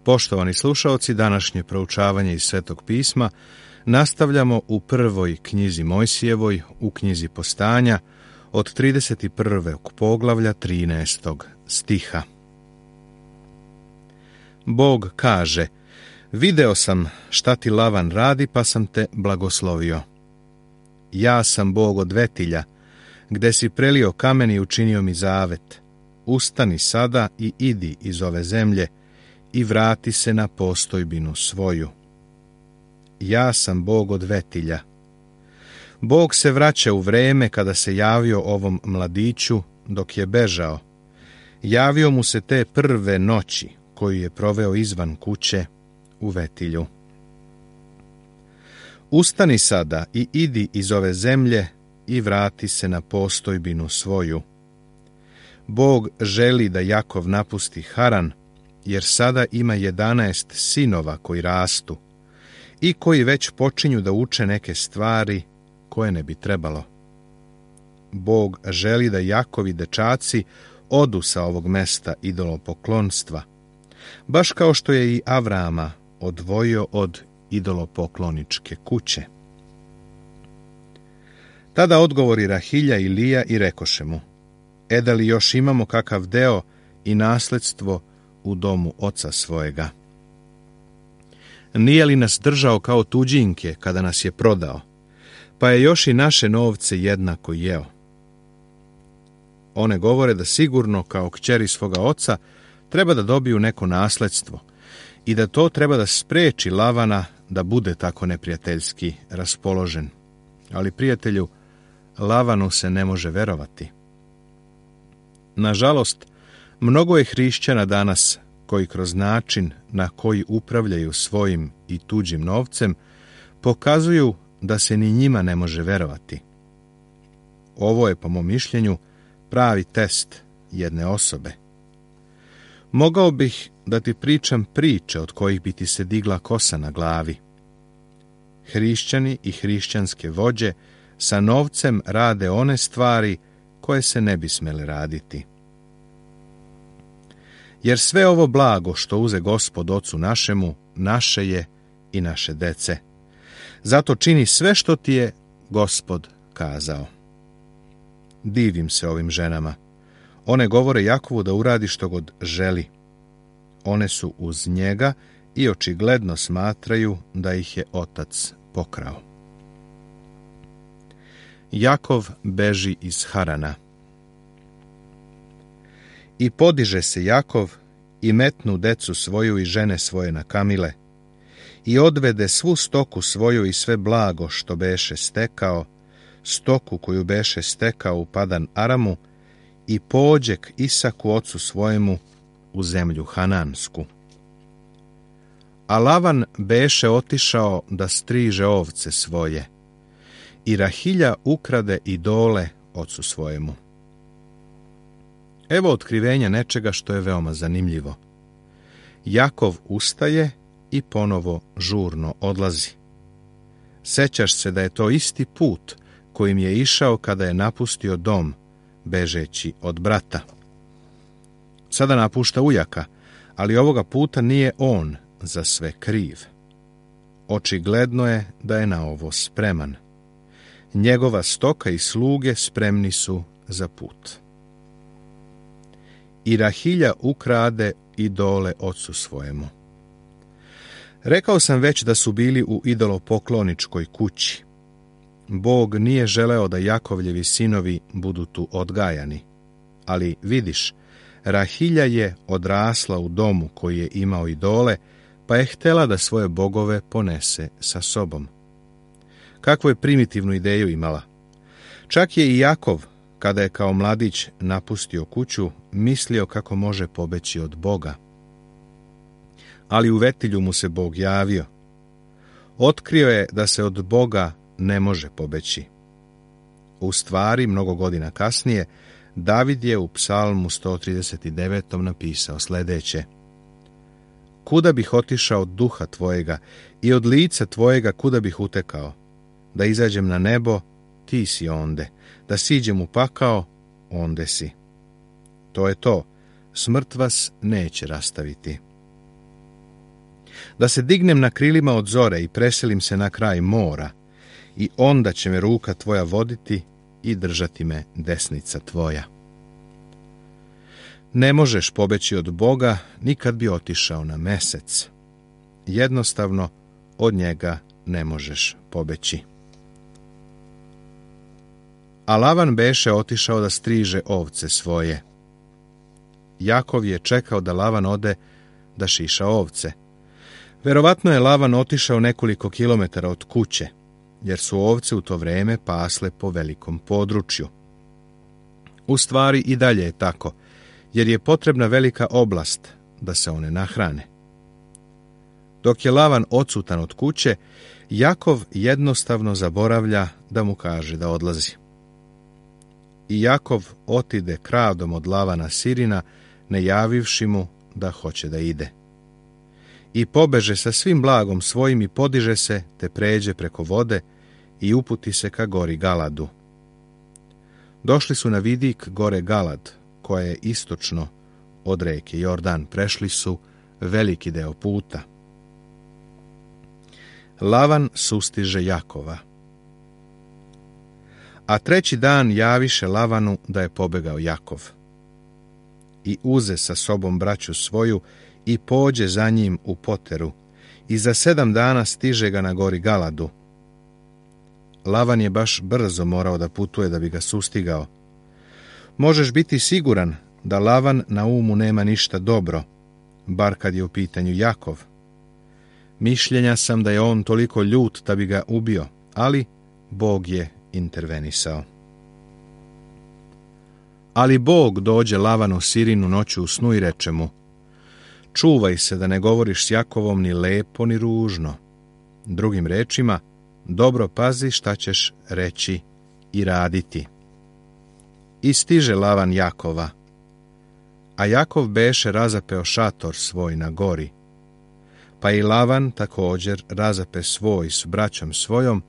Poštovani slušaoci, današnje proučavanje iz Svetog pisma nastavljamo u prvoj knjizi Mojsijevoj, u knjizi Postanja, od 31. poglavlja 13. stiha. Bog kaže: video sam šta ti Lavan radi, pa sam te blagoslovio. Ja sam Bog odvetilja, gde si prelio kamen i učinio mi zavet. Ustani sada i idi iz ove zemlje i vrati se na postojbinu svoju. Ja sam Bog odvetilja. Bog se vraća u vreme kada se javio ovom mladiću dok je bežao. Javio mu se te prve noći koju je proveo izvan kuće u vetilju. Ustani sada i idi iz ove zemlje i vrati se na postojbinu svoju. Bog želi da Jakov napusti Haran, jer sada ima 11 sinova koji rastu i koji već počinju da uče neke stvari koje ne bi trebalo. Bog želi da Jakovi dečaci odu sa ovog mesta idolopoklonstva, baš kao što je i Avrama odvojio od idolopokloničke kuće. Tada odgovori Rahilja i Lija i rekoše mu: da li još imamo kakav deo i nasledstvo u domu oca svojega? Nije li nas držao kao tuđinke kada nas je prodao, pa je još i naše novce jednako jeo? One govore da sigurno kao kćeri svoga oca treba da dobiju neko nasledstvo i da to treba da spreči Lavana da bude tako neprijateljski raspoložen. Ali, prijatelju, Lavanu se ne može verovati. Nažalost, mnogo je hrišćana danas koji kroz način na koji upravljaju svojim i tuđim novcem pokazuju da se ni njima ne može verovati. Ovo je, po mom mišljenju, pravi test jedne osobe. Mogao bih da ti pričam priče od kojih bi ti se digla kosa na glavi. Hrišćani i hrišćanske vođe sa novcem rade one stvari koje se ne bi smele raditi. Jer sve ovo blago što uze Gospod ocu našemu, naše je i naše dece. Zato čini sve što ti je Gospod kazao. Divim se ovim ženama. One govore Jakovu da uradi što god želi. One su uz njega i očigledno smatraju da ih je otac pokrao. Jakov beži iz Harana. I podiže se Jakov i metnu decu svoju i žene svoje na kamile i odvede svu stoku svoju i sve blago što beše stekao, stoku koju beše stekao u Padan Aramu, i pođe k Isaku ocu svojemu u zemlju Hanansku. A Lavan beše otišao da striže ovce svoje i Rahilja ukrade idole ocu svojemu. Evo otkrivenja nečega što je veoma zanimljivo. Jakov ustaje i ponovo žurno odlazi. Sećaš se da je to isti put kojim je išao kada je napustio dom, bežeći od brata. Sada napušta ujaka, ali ovoga puta nije on za sve kriv. Očigledno je da je na ovo spreman. Njegova stoka i sluge spremni su za put. I Rahilja ukrade idole ocu svojemu. Rekao sam već da su bili u idolopokloničkoj kući. Bog nije želeo da Jakovljevi sinovi budu tu odgajani. Ali vidiš, Rahilja je odrasla u domu koji je imao idole, pa je htela da svoje bogove ponese sa sobom. Kakvu je primitivnu ideju imala. Čak je i Jakov, kada je kao mladić napustio kuću, mislio kako može pobeći od Boga. Ali u vetilju mu se Bog javio. Otkrio je da se od Boga ne može pobeći. U stvari, mnogo godina kasnije, David je u Psalmu 139. napisao sljedeće: kuda bih otišao od duha tvojega i od lica tvojega kuda bih utekao? Da izađem na nebo, ti si onde. Da siđem u pakao, onde si. To je to. Smrt vas neće rastaviti. da se dignem na krilima od zore i preselim se na kraj mora, i onda će me ruka tvoja voditi i držati me desnica tvoja. Ne možeš pobeći od Boga ni kad bi otišao na mesec. Jednostavno, od njega ne možeš pobeći. A Lavan beše otišao da striže ovce svoje. Jakov je čekao da Lavan ode da šiša ovce. Verovatno je Lavan otišao nekoliko kilometara od kuće, jer su ovce u to vreme pasle po velikom području. U stvari i dalje je tako, jer je potrebna velika oblast da se one nahrane. Dok je Lavan odsutan od kuće, Jakov jednostavno zaboravlja da mu kaže da odlazi. I Jakov otide kradom od Lavana sirina, ne javivši mu da hoće da ide. I pobeže sa svim blagom svojim i podiže se, te pređe preko vode i uputi se ka gori Galadu. Došli su na vidik gore Galad, koja je istočno od reke Jordan. Prešli su veliki deo puta. Lavan sustiže Jakova. A treći dan javiše Lavanu da je pobegao Jakov. I uze sa sobom braću svoju i pođe za njim u poteru, i za 7 dana stiže ga na gori Galadu. Lavan je baš brzo morao da putuje da bi ga sustigao. Možeš biti siguran da Lavan na umu nema ništa dobro, bar kad je u pitanju Jakov. Mišljenja sam da je on toliko ljut da bi ga ubio, ali Bog je intervenisao. Ali Bog dođe Lavanu sirinu noću u snu i reče mu: čuvaj se da ne govoriš s Jakovom ni lepo ni ružno. Drugim rečima, dobro pazi šta ćeš reći i raditi. I stiže Lavan Jakova. A Jakov beše razapeo šator svoj na gori. Pa i Lavan također razape svoj s braćom svojom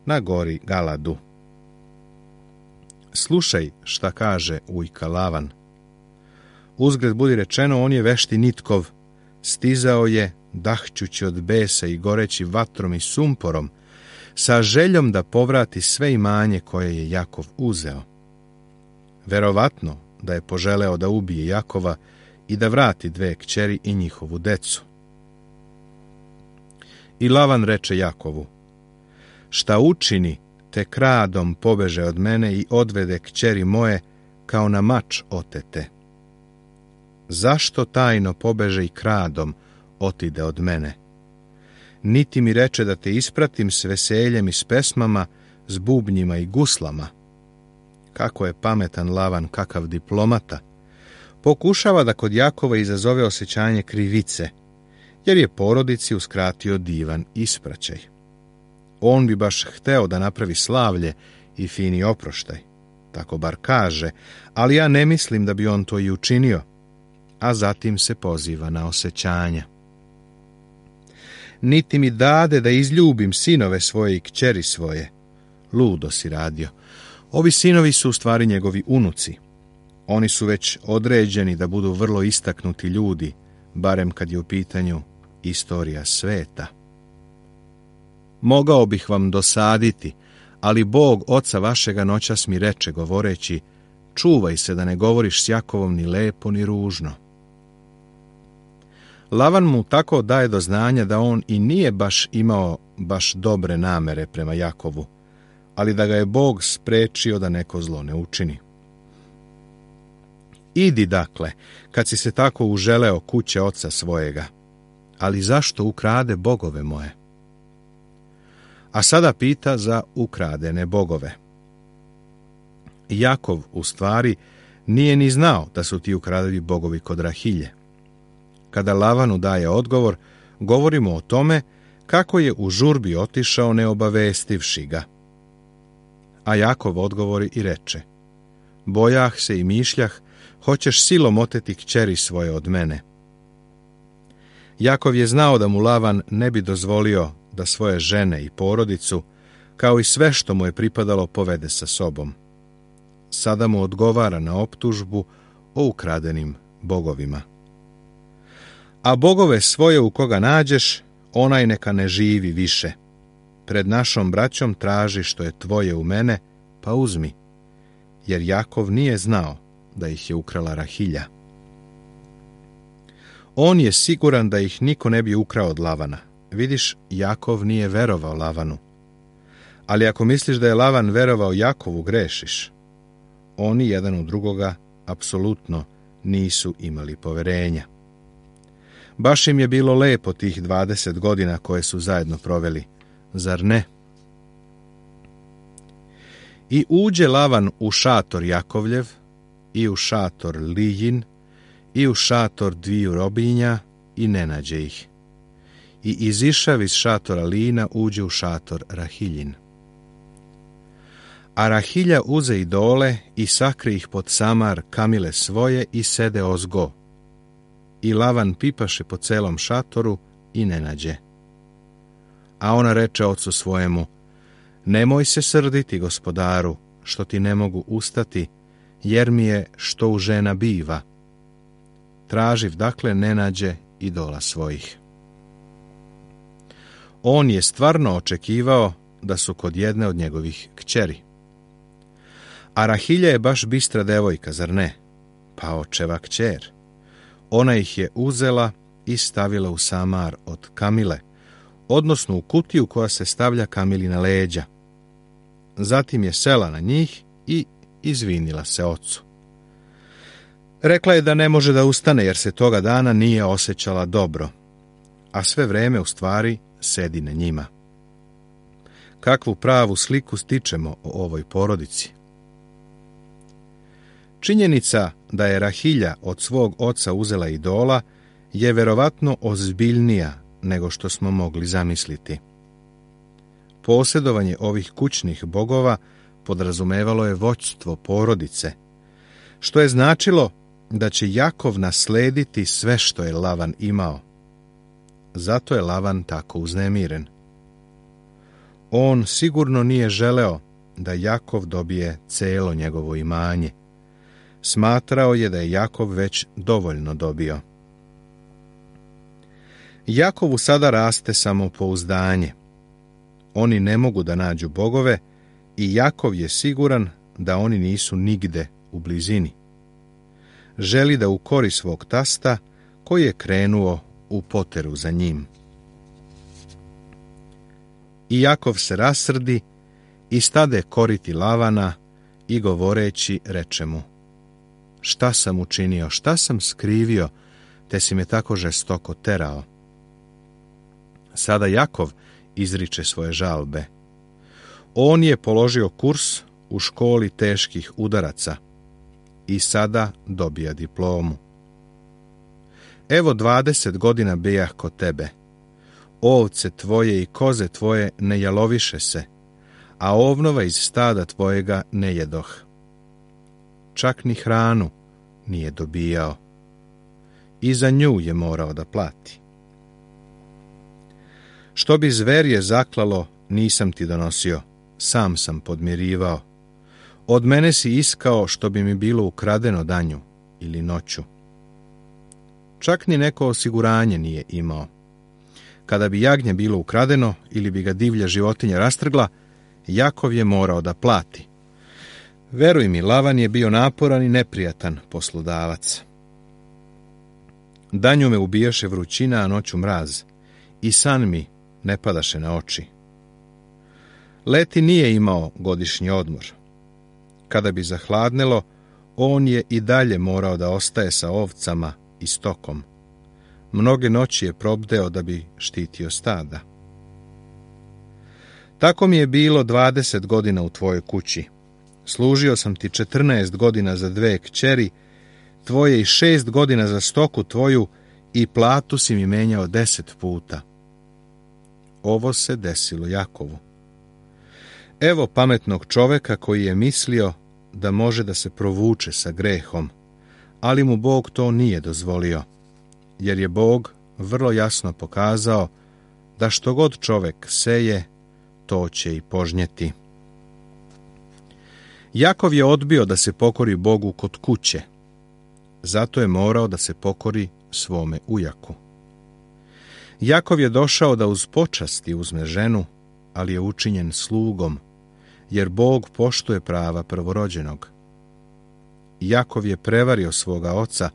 na gori Galadu. Slušaj šta kaže ujka Lavan. Uzgred budi rečeno, on je vešti nitkov, stizao je, dahćući od besa i goreći vatrom i sumporom, sa željom da povrati sve imanje koje je Jakov uzeo. Verovatno da je poželeo da ubije Jakova i da vrati 2 kćeri i njihovu decu. I Lavan reče Jakovu: šta učini, te kradom pobeže od mene i odvede kćeri moje kao na mač otete. Zašto tajno pobeže i kradom otide od mene? Niti mi reče da te ispratim s veseljem i s pesmama, s bubnjima i guslama. Kako je pametan Lavan, kakav diplomata. Pokušava da kod Jakova izazove osjećanje krivice, jer je porodici uskratio divan ispraćaj. On bi baš hteo da napravi slavlje i fini oproštaj. Tako bar kaže, ali ja ne mislim da bi on to i učinio, a zatim se poziva na osjećanja. Niti mi dade da izljubim sinove svoje i kćeri svoje. Ludo si radio. Ovi sinovi su u stvari njegovi unuci. Oni su već određeni da budu vrlo istaknuti ljudi, barem kad je u pitanju istorija sveta. Mogao bih vam dosaditi, ali Bog oca vašega noćas mi reče govoreći: čuvaj se da ne govoriš s Jakovom ni lepo ni ružno. Lavan mu tako daje do znanja da on i nije baš imao baš dobre namere prema Jakovu, ali da ga je Bog sprečio da neko zlo ne učini. Idi dakle, kad si se tako uželeo kuće oca svojega, ali zašto ukrade bogove moje? A sada pita za ukradene bogove. Jakov u stvari nije ni znao da su ti ukradeni bogovi kod Rahilje. Kada Lavanu daje odgovor, govorimo o tome kako je u žurbi otišao ne obavestivši ga. A Jakov odgovori i reče: bojah se i mišljah, hoćeš silom oteti kćeri svoje od mene. Jakov je znao da mu Lavan ne bi dozvolio da svoje žene i porodicu, kao i sve što mu je pripadalo, povede sa sobom. Sada mu odgovara na optužbu o ukradenim bogovima. A bogove svoje u koga nađeš, onaj neka ne živi više. Pred našom braćom traži što je tvoje u mene, pa uzmi, jer Jakov nije znao da ih je ukrala Rahilja. On je siguran da ih niko ne bi ukrao od Lavana. Vidiš, Jakov nije verovao Lavanu. Ali ako misliš da je Lavan verovao Jakovu, grešiš. Oni jedan u drugoga apsolutno nisu imali poverenja. Baš im je bilo lepo tih 20 godina koje su zajedno proveli, zar ne? I uđe Lavan u šator Jakovljev, i u šator Lijin, i u šator dviju robinja, i ne nađe ih. I izišav iz šatora Lijina uđe u šator Rahiljin. A Rahilja uze idole i sakri ih pod samar kamile svoje i sede ozgo. I Lavan pipaše po celom šatoru i ne nađe. A ona reče ocu svojemu: nemoj se srditi, gospodaru, što ti ne mogu ustati, jer mi je što u žena biva. Traživ, dakle, ne nađe idola svojih. On je stvarno očekivao da su kod jedne od njegovih kćeri. A Rahilja je baš bistra devojka, zar ne? Pa očeva kćer. Ona ih je uzela i stavila u samar od kamile, odnosno u kutiju koja se stavlja kamili na leđa. Zatim je sela na njih i izvinila se ocu. Rekla je da ne može da ustane jer se toga dana nije osjećala dobro, a sve vreme u stvari sedi na njima. Kakvu pravu sliku stičemo o ovoj porodici? Činjenica da je Rahilja od svog oca uzela idola je verovatno ozbiljnija nego što smo mogli zamisliti. Posjedovanje ovih kućnih bogova podrazumevalo je vođstvo porodice, što je značilo da će Jakov naslediti sve što je Lavan imao. Zato je Lavan tako uznemiren. On sigurno nije želeo da Jakov dobije celo njegovo imanje. Smatrao je da je Jakov već dovoljno dobio. Jakovu sada raste samopouzdanje. Oni ne mogu da nađu bogove i Jakov je siguran da oni nisu nigde u blizini. Želi da ukori svog tasta koji je krenuo u poteru za njim. I Jakov se rasrdi i stade koriti Lavana i govoreći reče mu: šta sam učinio, šta sam skrivio, te si me tako žestoko terao? Sada Jakov izriče svoje žalbe. On je položio kurs u školi teških udaraca i sada dobija diplomu. Evo 20 godina bijah kod tebe. Ovce tvoje i koze tvoje ne jaloviše se, a ovnova iz stada tvojega ne jedoh. Čak ni hranu nije dobijao. I za nju je morao da plati. Što bi zverje zaklalo, nisam ti donosio, sam sam podmirivao. Od mene si iskao što bi mi bilo ukradeno danju ili noću. Čak ni neko osiguranje nije imao. Kada bi jagnje bilo ukradeno ili bi ga divlja životinja rastrgla, Jakov je morao da plati. Veruj mi, Lavan je bio naporan i neprijatan poslodavac. Danju me ubijaše vrućina, a noću mraz, i san mi ne padaše na oči. Leti nije imao godišnji odmor. Kada bi zahladnelo, on je i dalje morao da ostaje sa ovcama i stokom. Mnoge noći je probdeo da bi štitio stada. Tako mi je bilo 20 godina u tvojoj kući. Služio sam ti 14 godina za 2 kćeri, tvoje i 6 godina za stoku tvoju i platu si mi menjao 10 puta. Ovo se desilo Jakovu. Evo pametnog čoveka koji je mislio da može da se provuče sa grehom, ali mu Bog to nije dozvolio, jer je Bog vrlo jasno pokazao da što god čovek seje, to će i požnjeti. Jakov je odbio da se pokori Bogu kod kuće, zato je morao da se pokori svome ujaku. Jakov je došao da uz počasti uzme ženu, ali je učinjen slugom, jer Bog poštuje prava prvorođenog. Jakov je prevario svoga oca,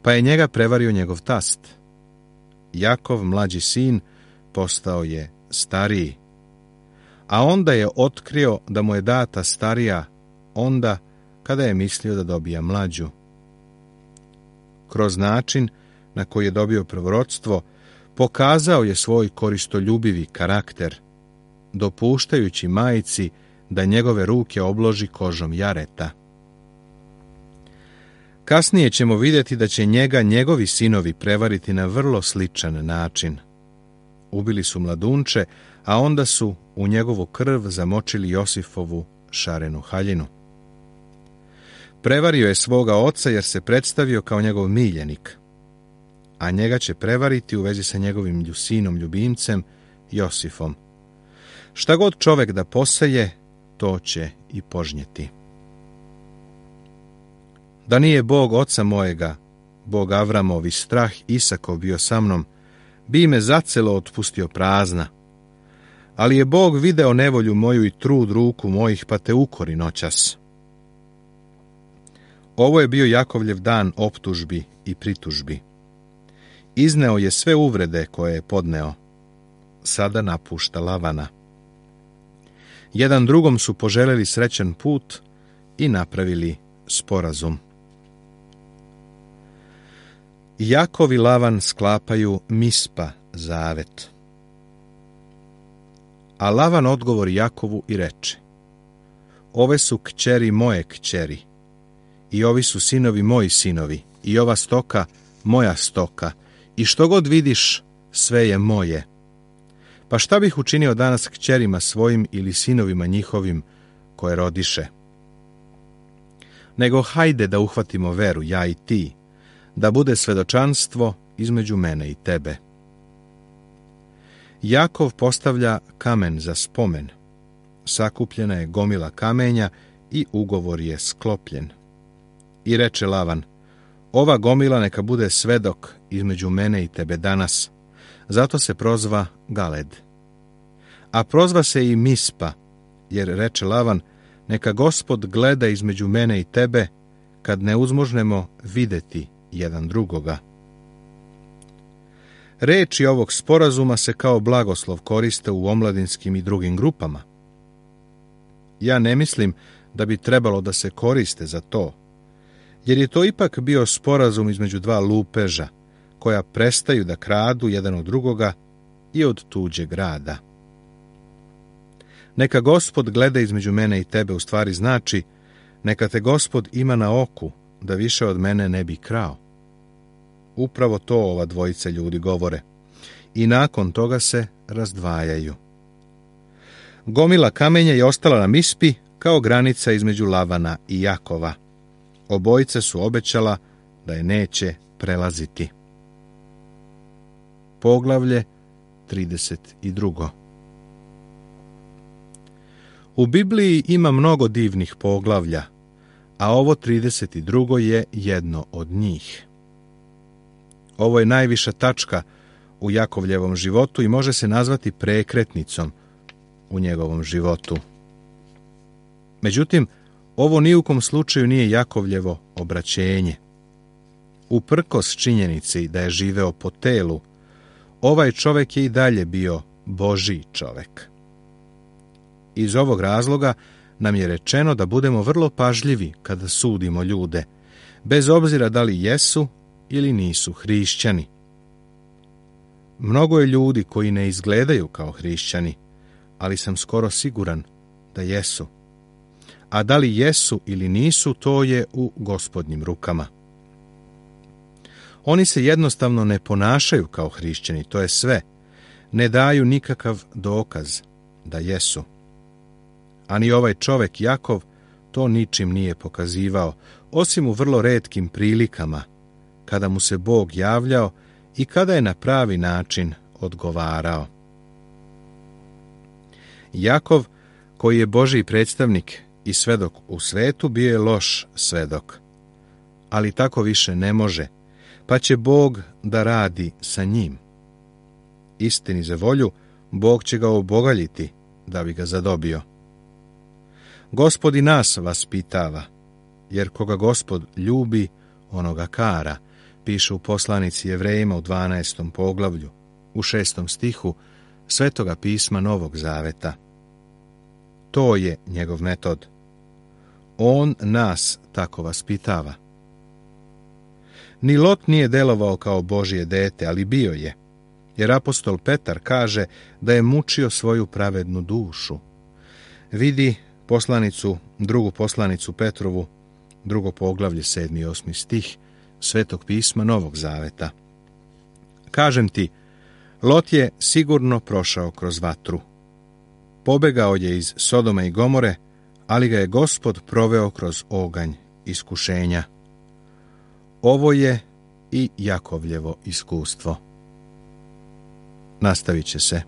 pa je njega prevario njegov tast. Jakov, mlađi sin, postao je stariji, a onda je otkrio da mu je data starija, onda kada je mislio da dobija mlađu. Kroz način na koji je dobio prvorodstvo, pokazao je svoj koristoljubivi karakter, dopuštajući majci da njegove ruke obloži kožom jareta. Kasnije ćemo vidjeti da će njega njegovi sinovi prevariti na vrlo sličan način. Ubili su mladunče, a onda su u njegovu krv zamočili Josifovu šarenu haljinu. Prevario je svoga oca jer se predstavio kao njegov miljenik, a njega će prevariti u vezi sa njegovim sinom ljubimcem Josifom. Šta god čovjek da poseje, to će i požnjeti. Da nije Bog oca mojega, Bog Avramov i strah Isakov bio sa mnom, bi me zacelo otpustio prazna. Ali je Bog video nevolju moju i trud ruku mojih, pa te ukori noćas. Ovo je bio Jakovljev dan optužbi i pritužbi. Izneo je sve uvrede koje je podneo. Sada napušta Lavana. Jedan drugom su poželjeli srećan put i napravili sporazum. Jakov i Lavan sklapaju Mispa zavet. A Lavan odgovori Jakovu i reče: ove su kćeri moje kćeri, i ovi su sinovi moji sinovi, i ova stoka moja stoka, i što god vidiš, sve je moje. Pa šta bih učinio danas kćerima svojim ili sinovima njihovim koje rodiše? Nego hajde da uhvatimo veru, ja i ti, da bude svedočanstvo između mene i tebe. Jakov postavlja kamen za spomen. Sakupljena je gomila kamenja i ugovor je sklopljen. I reče Lavan: ova gomila neka bude svedok između mene i tebe danas. Zato se prozva Galed. A prozva se i Mispa, jer reče Lavan: neka Gospod gleda između mene i tebe, kad ne uzmožnemo videti jedan drugoga. Reči ovog sporazuma se kao blagoslov koriste u omladinskim i drugim grupama. Ja ne mislim da bi trebalo da se koriste za to, jer je to ipak bio sporazum između dva lupeža, koja prestaju da kradu jedan od drugoga i od tuđeg rada. Neka Gospod gleda između mene i tebe u stvari znači: neka te Gospod ima na oku, da više od mene ne bi krao. Upravo to ova dvojica ljudi govore. I nakon toga se razdvajaju. Gomila kamenja je ostala na Mispi kao granica između Lavana i Jakova. Obojice su obećala da je neće prelaziti. Poglavlje 32. U Bibliji ima mnogo divnih poglavlja, a ovo 32. je jedno od njih. Ovo je najviša tačka u Jakovljevom životu i može se nazvati prekretnicom u njegovom životu. Međutim, ovo ni u kom slučaju nije Jakovljevo obraćenje. Uprkos činjenici da je živeo po telu, ovaj čovjek je i dalje bio Božji čovjek. Iz ovog razloga nam je rečeno da budemo vrlo pažljivi kada sudimo ljude, bez obzira da li jesu ili nisu hrišćani. Mnogo je ljudi koji ne izgledaju kao hrišćani, ali sam skoro siguran da jesu. A da li jesu ili nisu, to je u Gospodnjim rukama. Oni se jednostavno ne ponašaju kao hrišćani, to je sve. Ne daju nikakav dokaz da jesu. A ni ovaj čovjek Jakov to ničim nije pokazivao, osim u vrlo retkim prilikama, kada mu se Bog javljao i kada je na pravi način odgovarao. Jakov, koji je Božji predstavnik i svedok u svetu, bio je loš svedok. Ali tako više ne može, pa će Bog da radi sa njim. istini za volju, Bog će ga obogaljiti da bi ga zadobio. Gospod i nas vaspitava, jer koga Gospod ljubi, onoga kara, piše u poslanici Jevrejima u 12. poglavlju, u 6. stihu Svetoga pisma Novog Zaveta. To je njegov metod. On nas tako vaspitava. Ni Lot nije delovao kao Božje dete, ali bio je, jer apostol Petar kaže da je mučio svoju pravednu dušu. Vidi drugu poslanicu Petrovu, 2. poglavlje, 7. i 8. stih Svetog pisma Novog Zaveta. Kažem ti, Lot je sigurno prošao kroz vatru. Pobegao je iz Sodoma i Gomore, ali ga je Gospod proveo kroz oganj iskušenja. Ovo je i Jakovljevo iskustvo. Nastavit će se.